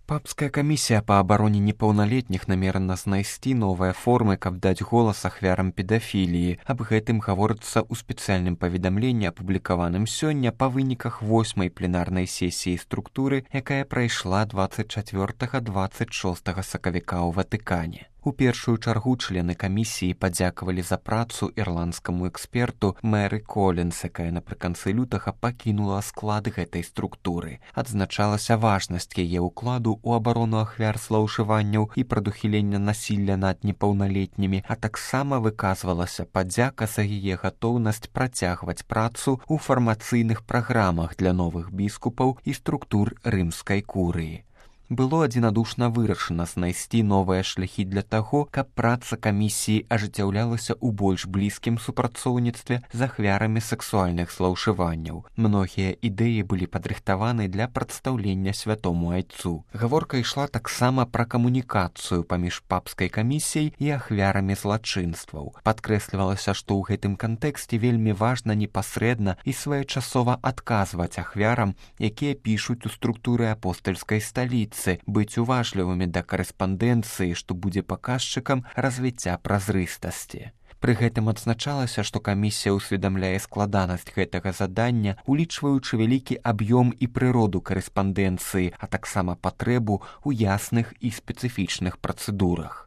Папская камісія па абароне непаўналетніх намерана знайсці новыя формы, каб даць голас ахвярам педафіліі. Аб гэтым гаворыцца ў спецыяльным паведамленні, апублікаваным сёння па выніках 8-й пленарнай сесіі структуры, якая прайшла 24-26 сакавіка ў Ватыкане. У першую чаргу члены камісіі падзякавалі за працу ірландскаму эксперту Мэры Колінс, якая напрыканцы лютага пакінула склад гэтай структуры. Адзначалася важнасць яе ўкладу ў абарону ахвяр злоўжыванняў і прадухілення насілля над непаўналетнімі, а таксама выказвалася падзяка за яе гатоўнасць працягваць працу ў фармацыйных праграмах для новых біскупаў і структур рымскай курыі. Было адзінадушна вырашана знайсці новыя шляхі для таго, каб праца камісіі ажыццяўлялася ў больш блізкім супрацоўніцтве з ахвярамі сексуальных злоўжыванняў. Многія ідэі былі падрыхтаваны для прадстаўлення святому айцу. Гаворка ішла таксама пра камунікацыю паміж папскай камісіяй і ахвярамі злачынстваў. Падкрэслівалася, што ў гэтым кантэксце вельмі важна непасрэдна і своечасова адказваць ахвярам, якія пішуць у структуры апостальскай сталіцы, быць уважлівымі да карэспандэнцыі, што будзе паказчыкам развіцця празрыстасці. Пры гэтым адзначалася, што камісія ўсведамляе складанасць гэтага задання, улічваючы вялікі аб'ём і прыроду карэспандэнцыі, а таксама патрэбу ў ясных і спецыфічных працэдурах.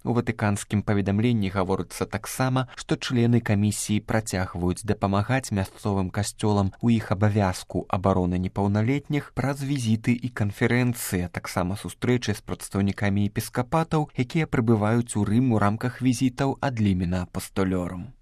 У ватыканскім паведамленні гаворыцца таксама, што члены камісіі працягваюць дапамагаць мясцовым касцёлам у іх абавязку абароны непаўналетніх праз візіты і канферэнцыі, а таксама сустрэчы з прадстаўнікамі епіскапатаў, якія прыбываюць у Рым у рамках візітаў ад лімена апостолёрум.